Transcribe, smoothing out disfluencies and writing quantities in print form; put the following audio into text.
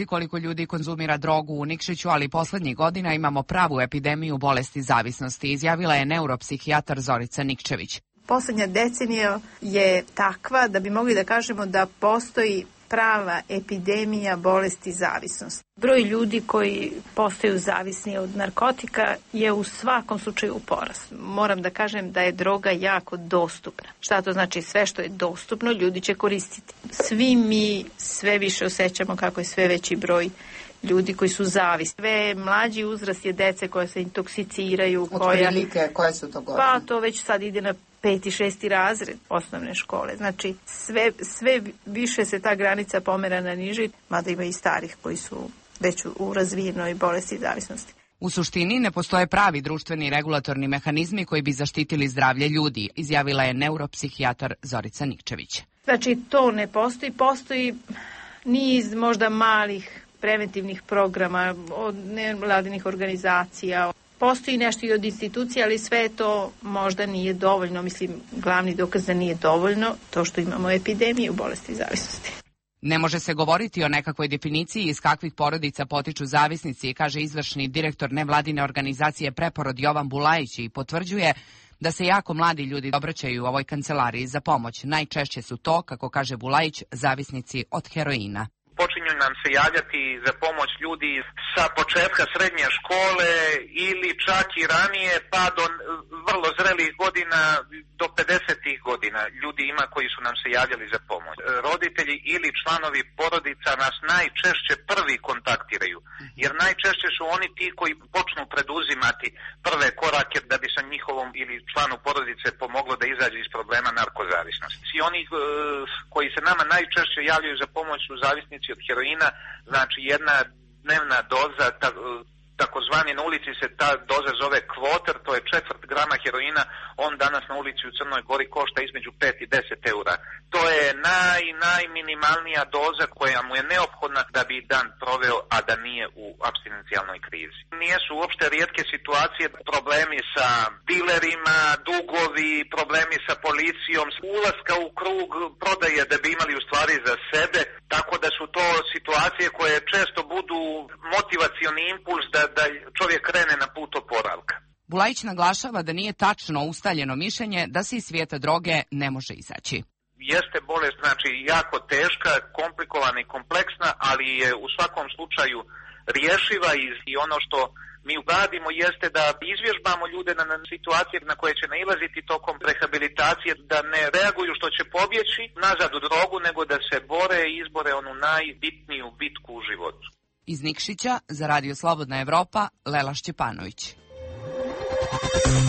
Koliko ljudi konzumira drogu u Nikšiću, ali poslednjih godina imamo pravu epidemiju bolesti zavisnosti, izjavila je neuropsihijatar Zorica Nikčević. Poslednja decenija je takva da bi mogli da kažemo da postoji prava epidemija bolesti zavisnosti. Broj ljudi koji postaju zavisni od narkotika je u svakom slučaju u porastu. Moram da kažem da je droga jako dostupna. Šta to znači? Sve što je dostupno ljudi će koristiti. Svi mi sve više osjećamo kako je sve veći broj ljudi koji su zavisni. Sve mlađi uzrast je dece koja se intoksiciraju. Otprilike, koje su to godine? Pa to već sad ide na 5. i 6. razred osnovne škole. Znači sve više se ta granica pomera na niži, mada ima i starih koji su već u razvijenoj bolesti zavisnosti. U suštini ne postoje pravi društveni regulatorni mehanizmi koji bi zaštitili zdravlje ljudi, izjavila je neuropsihijatar Zorica Nikčević. Znači to ne postoji. Postoji niz možda malih preventivnih programa od nevladinih organizacija. Postoji nešto i od institucija, ali sve to možda nije dovoljno. Mislim, glavni dokaz da nije dovoljno to što imamo epidemiju bolesti zavisnosti. Ne može se govoriti o nekakvoj definiciji iz kakvih porodica potiču zavisnici, kaže izvršni direktor nevladine organizacije Preporod Jovan Bulajić i potvrđuje da se jako mladi ljudi obraćaju u ovoj kancelariji za pomoć. Najčešće su to, kako kaže Bulajić, zavisnici od heroina. Počinju nam se javljati za pomoć ljudi sa početka srednje škole ili čak i ranije pa do vrlo zrelih godina, do 50. godina. Ljudi ima koji su nam se javljali za pomoć. Roditelji ili članovi porodica nas najčešće prvi kontaktiraju, jer najčešće su oni ti koji počnu preduzimati prve korake da bi sa njihovom ili članu porodice pomoglo da izađe iz problema narkozavisnosti. I oni koji se nama najčešće javljaju za pomoć su zavisnici od heroina, znači jedna dnevna doza, takozvani na ulici se ta doza zove kvoter, to je 1/4 grama heroina, on danas na ulici u Crnoj Gori košta između 5 i 10 eura. To je najminimalnija doza koja mu je neophodna da bi dan proveo, a da nije u apstinencijalnoj krizi. Nijesu uopšte rijetke situacije, problemi sa dilerima, dugovi, problemi sa policijom, ulaska u krug prodaje da bi imali u stvari za sebe, tako da su to situacije koje često budu motivacioni impuls da čovjek krene na put oporavka. Bulajić naglašava da nije tačno ustaljeno mišljenje da se iz svijeta droge ne može izaći. Jeste bolest, znači jako teška, komplikovana i kompleksna, ali je u svakom slučaju rješiva i ono što mi uradimo jeste da izvježbamo ljude na situacije na koje će nailaziti tokom rehabilitacije, da ne reaguju što će pobjeći nazad u drogu, nego da se bore i izbore onu najbitniju bitku u životu. Iz Nikšića za Radio Slobodna Evropa, Lela Šćepanović.